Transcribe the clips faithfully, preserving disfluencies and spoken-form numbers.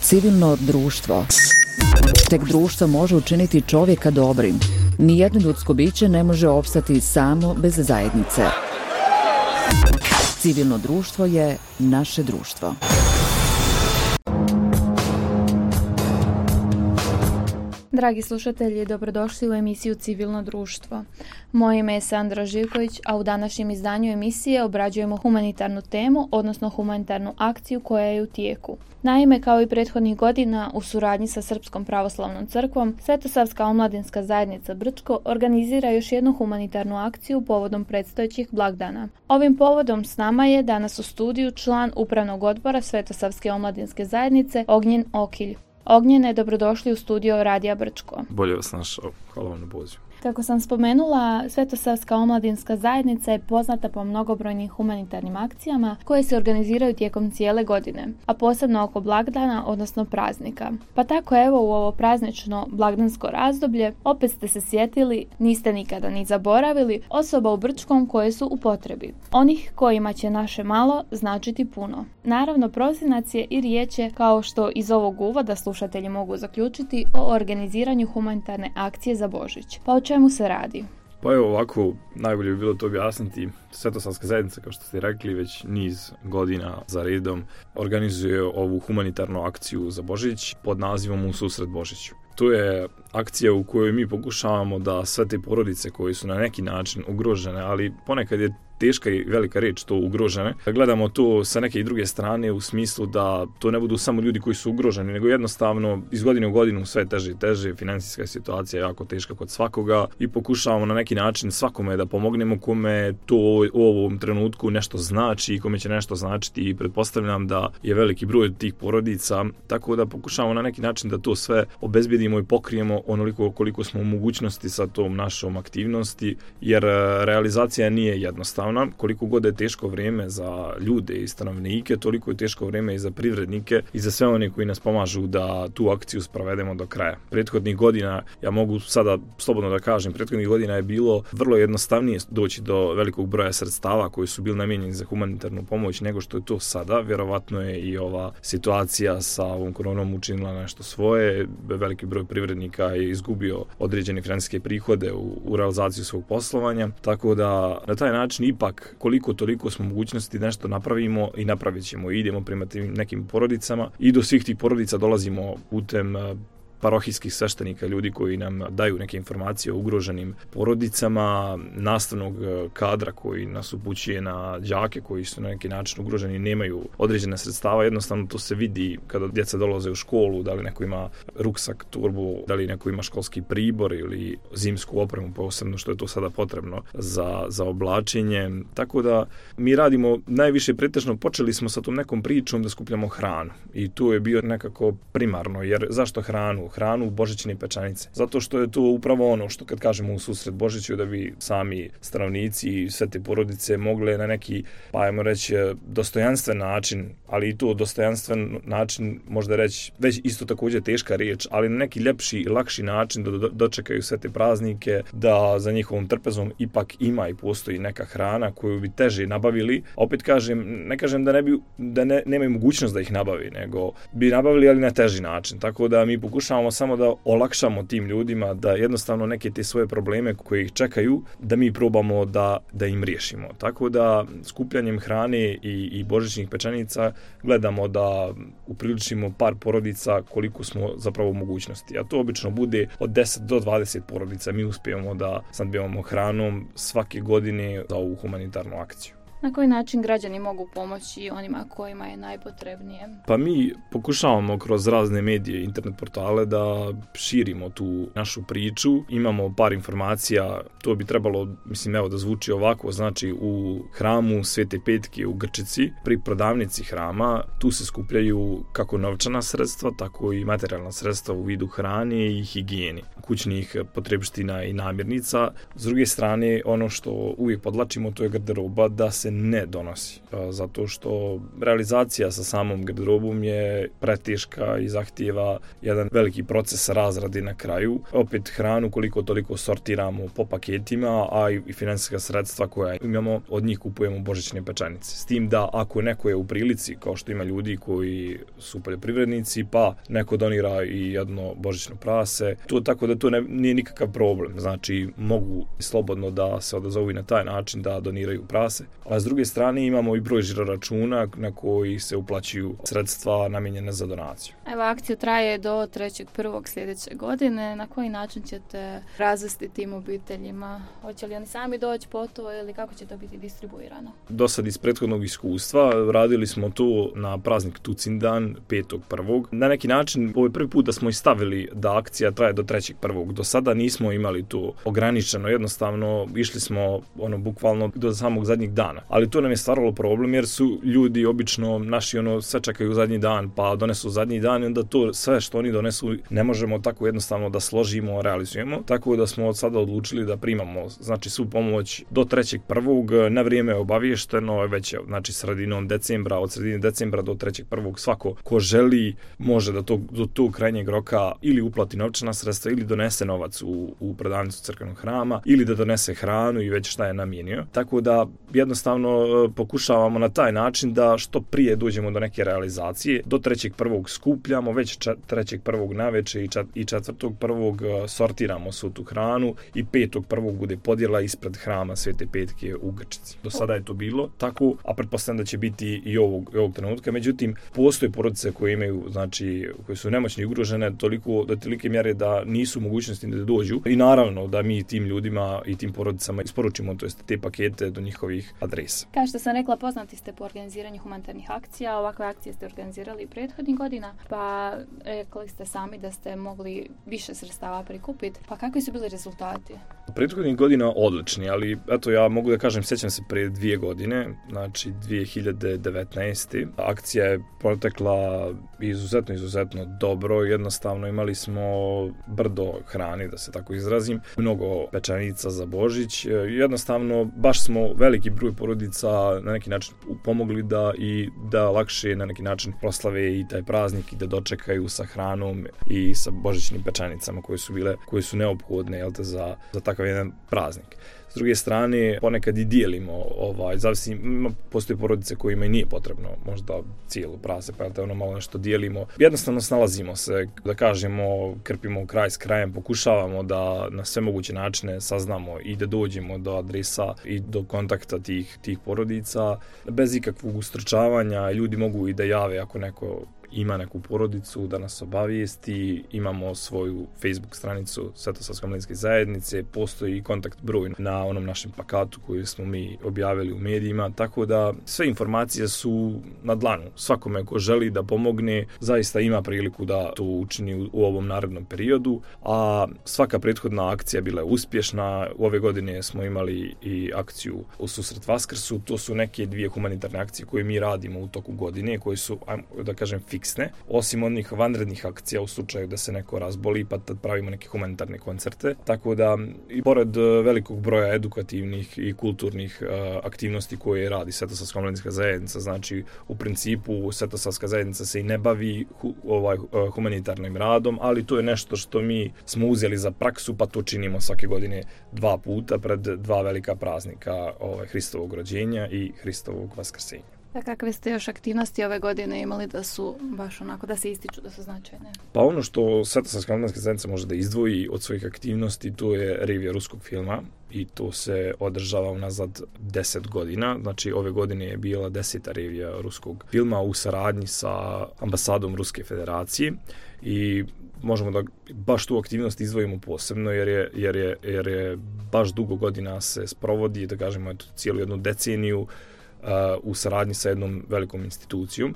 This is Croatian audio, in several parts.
Civilno društvo. Tek društvo može učiniti čovjeka dobrim. Nijedno ljudsko biće ne može opstati samo bez zajednice. Civilno društvo je naše društvo. Dragi slušatelji, dobrodošli u emisiju Civilno društvo. Moje ime je Sandra Živković, a u današnjem izdanju emisije obrađujemo humanitarnu temu, odnosno humanitarnu akciju koja je u tijeku. Naime, kao i prethodnih godina, u suradnji sa Srpskom pravoslavnom crkvom, Svetosavska omladinska zajednica Brčko organizira još jednu humanitarnu akciju povodom predstojećih blagdana. Ovim povodom s nama je danas u studiju član Upravnog odbora Svetosavske omladinske zajednice Ognjen Okilj. Ognjene, dobrodošli u studio Radija Brčko. Bolje vas našao, hvala vam na pozivu. Kako sam spomenula, Svetosavska omladinska zajednica je poznata po mnogobrojnim humanitarnim akcijama koje se organiziraju tijekom cijele godine, a posebno oko blagdana, odnosno praznika. Pa tako evo u ovo praznično blagdansko razdoblje opet ste se sjetili, niste nikada ni zaboravili, osoba u Brčkom koje su u potrebi. Onih kojima će naše malo značiti puno. Naravno, prosinac je i riječ je, kao što iz ovog uvoda slušatelji mogu zaključiti, o organiziranju humanitarne akcije za Božić. Pa o čemu se radi? Pa evo ovako, najbolje bi bilo to objasniti. Svetosavska zajednica, kao što ste rekli, već niz godina za redom organizuje ovu humanitarnu akciju za Božić pod nazivom U susret Božiću. To je akcija u kojoj mi pokušavamo da sve te porodice koje su na neki način ugrožene, ali ponekad je teška i velika riječ to ugrožene. Gledamo to sa neke i druge strane u smislu da to ne budu samo ljudi koji su ugroženi, nego jednostavno iz godine u godinu sve teže i teže, financijska situacija je jako teška kod svakoga i pokušavamo na neki način svakome da pomognemo kome to u ovom trenutku nešto znači i kome će nešto značiti i pretpostavljam da je veliki broj tih porodica, tako da pokušavamo na neki način da to sve obezbedimo i pokrijemo onoliko koliko smo u mogućnosti sa tom našom aktivnosti, jer realizacija nije jednostavna. Koliko god je teško vrijeme za ljude i stanovnike, toliko je teško vrijeme i za privrednike i za sve one koji nas pomažu da tu akciju sprovedemo do kraja. Prethodnih godina, ja mogu sada slobodno da kažem, prethodnih godina je bilo vrlo jednostavnije doći do velikog broja sredstava koji su bili namijenjeni za humanitarnu pomoć nego što je to sada. Vjerovatno je i ova situacija sa ovom koronom učinila nešto svoje. Veliki broj privrednika je izgubio određene financijske prihode u, u realizaciju svog poslovanja, tako da na taj način ipak koliko toliko smo mogućnosti nešto napravimo i napravit ćemo i idemo prema tim nekim porodicama i do svih tih porodica dolazimo putem parohijskih sveštenika, ljudi koji nam daju neke informacije o ugroženim porodicama, nastavnog kadra koji nas upućuje na đake koji su na neki način ugroženi, nemaju određene sredstava, jednostavno to se vidi kada djeca dolaze u školu, da li neko ima ruksak, turbu, da li neko ima školski pribor ili zimsku opremu, posebno što je to sada potrebno za, za oblačenje. Tako da mi radimo najviše pretežno, počeli smo sa tom nekom pričom da skupljamo hranu i tu je bio nekako primarno, jer zašto hranu? Hranu, božićne pečenice. Zato što je to upravo ono što kad kažemo u susret Božiću da bi sami stanovnici i sve te porodice mogle na neki, pa ajmo reći, dostojanstven način, ali i to dostojanstven način možda reći već isto također teška riječ, ali na neki ljepši i lakši način da do, dočekaju sve te praznike, da za njihovom trpezom ipak ima i postoji neka hrana koju bi teže nabavili. A opet kažem, ne kažem da ne bi, da ne, nemaju mogućnost da ih nabavi, nego bi nabavili ali na teži način. Tako da mi pokušavamo samo da olakšamo tim ljudima da jednostavno neke te svoje probleme koje ih čekaju, da mi probamo da, da im riješimo. Tako da skupljanjem hrane i, i božićnih pečenica gledamo da upriličimo par porodica koliko smo zapravo u mogućnosti. A to obično bude od deset do dvadeset porodica. Mi uspijemo da snabdijevamo hranom svake godine za ovu humanitarnu akciju. Na koji način građani mogu pomoći onima kojima je najpotrebnije? Pa mi pokušavamo kroz razne medije, internet portale da širimo tu našu priču. Imamo par informacija, to bi trebalo, mislim, evo da zvuči ovako, znači u hramu Svete Petke u Grčici, pri prodavnici hrama, tu se skupljaju kako novčana sredstva, tako i materijalna sredstva u vidu hrane i higijeni, kućnih potrebština i namirnica. S druge strane, ono što uvijek podlačimo, to je garderoba, da se se ne donosi. Zato što realizacija sa samom garderobom je preteška i zahtijeva jedan veliki proces razrade na kraju. Opet hranu koliko toliko sortiramo po paketima, a i finansijska sredstva koja imamo, od njih kupujemo božićne pečenice. S tim da ako neko je u prilici, kao što ima ljudi koji su poljoprivrednici, pa neko donira i jedno božićno prase, to tako da to ne, nije nikakav problem. Znači, mogu slobodno da se odazovu i na taj način da doniraju prase. A s druge strane imamo i broj žiroračuna na koji se uplaćuju sredstva namijenjene za donaciju. Evo, akcija traje do trećeg prvog sljedeće godine. Na koji način ćete razvesti tim obiteljima? Hoće li oni sami doći po to ili kako će to biti distribuirano? Do sad iz prethodnog iskustva radili smo to na praznik Tucindan petog prvog Na neki način, ovo je prvi put da smo istavili da akcija traje do trećeg prvog Do sada nismo imali to ograničeno, jednostavno išli smo ono bukvalno do samog zadnjeg dana. Ali to nam je stvaralo problem jer su ljudi obično naši ono sve čekaju zadnji dan pa donesu zadnji dan i onda to sve što oni donesu ne možemo tako jednostavno da složimo, realizujemo. Tako da smo od sada odlučili da primamo znači svu pomoć do trećeg prvog Na vrijeme je obavješteno, već je znači sredinom decembra, od sredine decembra do trećeg prvog svako ko želi može da to, do tog krajnjeg roka ili uplati novčana sredstva ili donese novac u, u prodavnicu crkvenog hrama ili da donese hranu i već šta je namijenio. Tako da jednostavno pokušavamo na taj način da što prije dođemo do neke realizacije. Do trećeg prvog skupljamo, već trećeg prvog naveče i četvrtog prvog sortiramo svu tu hranu i petog prvog bude podjela ispred hrama Svete Petke u Grčici. Do sada je to bilo tako, a pretpostavljam da će biti i ovog, ovog trenutka. Međutim, postoje porodice koje imaju, znači, koje su nemoćne i ugrožene toliko, do tolike mjere da nisu mogućnosti da dođu. I naravno da mi tim ljudima i tim porodicama isporučimo to jest te pakete do njihovih adresa. Kao što sam rekla, poznati ste po organiziranju humanitarnih akcija. Ovakve akcije ste organizirali i prethodnih godina, pa rekli ste sami da ste mogli više sredstava prikupiti. Pa kakvi su bili rezultati? Prethodnih godina odlični, ali eto ja mogu da kažem, sjećam se pre dvije godine, znači dvije hiljade devetnaeste Akcija je protekla izuzetno, izuzetno dobro. Jednostavno imali smo brdo hrane, da se tako izrazim, mnogo pečenica za Božić. Jednostavno baš smo veliki broj porodica na neki način pomogli da i da lakše na neki način proslave i taj praznik i da dočekaju sa hranom i sa božićnim pečenicama koje su bile, koje su neophodne jel te, za, za takav jedan praznik. S druge strane, ponekad i dijelimo, ovaj, zavisi, postoje porodice kojima i nije potrebno možda cijelo prase, pa te ono malo nešto dijelimo. Jednostavno snalazimo se, da kažemo, krpimo kraj s krajem, pokušavamo da na sve moguće načine saznamo i da dođemo do adresa i do kontakta tih, tih porodica. Bez ikakvog ustručavanja ljudi mogu i da jave ako neko ima neku porodicu da nas obavijesti, imamo svoju Facebook stranicu Svetosavske omladinske zajednice, postoji kontakt broj na onom našem plakatu koji smo mi objavili u medijima, tako da sve informacije su na dlanu. Svakome ko želi da pomogne, zaista ima priliku da to učini u, u ovom narednom periodu, a svaka prethodna akcija bila je uspješna. Ove godine smo imali i akciju u susret Vaskrsu, to su neke dvije humanitarne akcije koje mi radimo u toku godine, koje su, da kažem, fiksne, osim onih vanrednih akcija u slučaju da se neko razboli, pa tad pravimo neke humanitarne koncerte. Tako da, i pored velikog broja edukativnih i kulturnih uh, aktivnosti koje radi Svetosavska omladinska zajednica, znači u principu Svetosavska zajednica se i ne bavi hu, ovaj, uh, humanitarnim radom, ali to je nešto što mi smo uzeli za praksu, pa to činimo svake godine dva puta pred dva velika praznika, ovaj, Hristovog rođenja i Hristovog vaskrsenja. A kakve ste još aktivnosti ove godine imali da su baš onako da se ističu, da su značajne? Pa ono što Svetosavska omladinska zajednica može da izdvoji od svojih aktivnosti, to je revija ruskog filma i to se održava unazad deset godina. Znači ove godine je bila deseta revija ruskog filma u saradnji sa ambasadom Ruske federacije i možemo da baš tu aktivnost izdvojimo posebno jer je, jer je, jer je baš dugo godina se sprovodi, da kažemo eto, cijelu jednu deceniju Uh, u saradnji sa jednom velikom institucijom.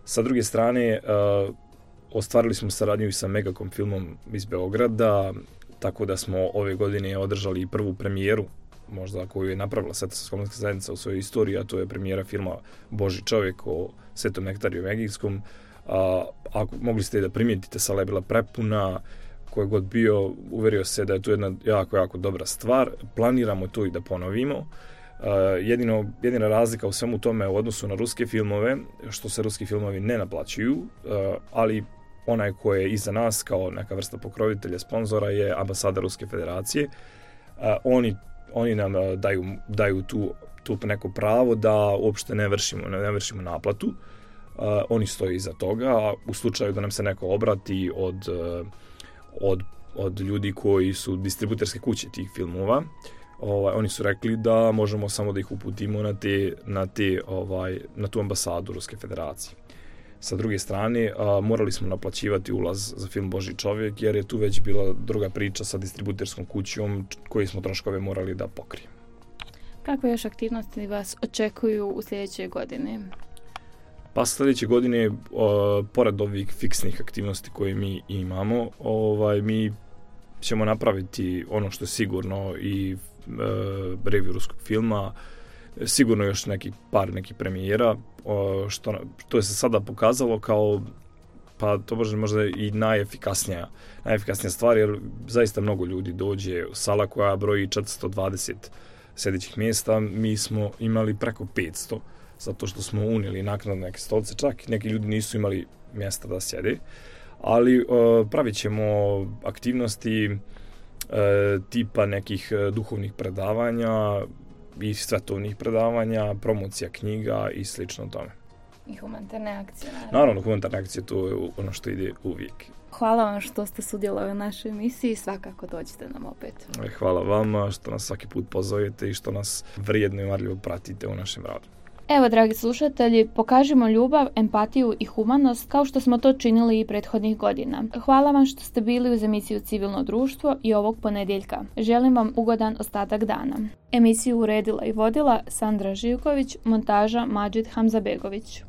Sa druge strane, uh, ostvarili smo saradnju i sa Megakom filmom iz Beograda, tako da smo ove godine održali prvu premijeru, možda koju je napravila Svetosavska omladinska zajednica u svojoj istoriji, a to je premijera filma Božji čovjek o Svetom Nektariju Egejskom. Uh, ako mogli ste da primijetite, sala je bila prepuna, ko je god bio, uverio se da je to jedna jako, jako dobra stvar. Planiramo to i da ponovimo. jedino, jedina razlika u svemu tome u odnosu na ruske filmove, što se ruski filmovi ne naplaćuju, uh, ali onaj ko je iza nas kao neka vrsta pokrovitelja, sponzora je ambasada Ruske federacije. Uh, oni, oni nam uh, daju, daju tu, tu neko pravo da uopšte ne vršimo, ne vršimo naplatu. Uh, oni stoje iza toga, a u slučaju da nam se neko obrati od, uh, od, od ljudi koji su distributerske kuće tih filmova, ovaj, oni su rekli da možemo samo da ih uputimo na, te, na, te, ovaj, na tu ambasadu Ruske federacije. Sa druge strane, a, morali smo naplaćivati ulaz za film Božji čovjek, jer je tu već bila druga priča sa distributerskom kućom koji smo troškove morali da pokrijemo. Kakve još aktivnosti vas očekuju u sljedećoj godini? Pa sljedeće godine, o, pored ovih fiksnih aktivnosti koje mi imamo, ovaj, mi ćemo napraviti ono što je sigurno i e, review ruskog filma, sigurno još neki par nekih premijera, o, što, što je se sada pokazalo kao, pa to može možda i najefikasnija, najefikasnija stvar, jer zaista mnogo ljudi dođe u sala koja broji četiristo dvadeset sjedećih mjesta, mi smo imali preko petsto, zato što smo unijeli naknadno neke stolice, čak neki ljudi nisu imali mjesta da sjede, ali uh, pravit ćemo aktivnosti uh, tipa nekih uh, duhovnih predavanja i svetovnih predavanja, promocija knjiga i slično tome. I humanitarne akcije, naravno. Naravno, humanitarne akcije, to je ono što ide uvijek. Hvala vam što ste sudjelovali u našoj emisiji i svakako dođite nam opet. Hvala vama što nas svaki put pozovete i što nas vrijedno i marljivo pratite u našem radu. Evo, dragi slušatelji, pokažimo ljubav, empatiju i humanost kao što smo to činili i prethodnih godina. Hvala vam što ste bili uz emisiju Civilno društvo i ovog ponedjeljka. Želim vam ugodan ostatak dana. Emisiju uredila i vodila Sandra Živković, montaža Mađid Hamzabegović.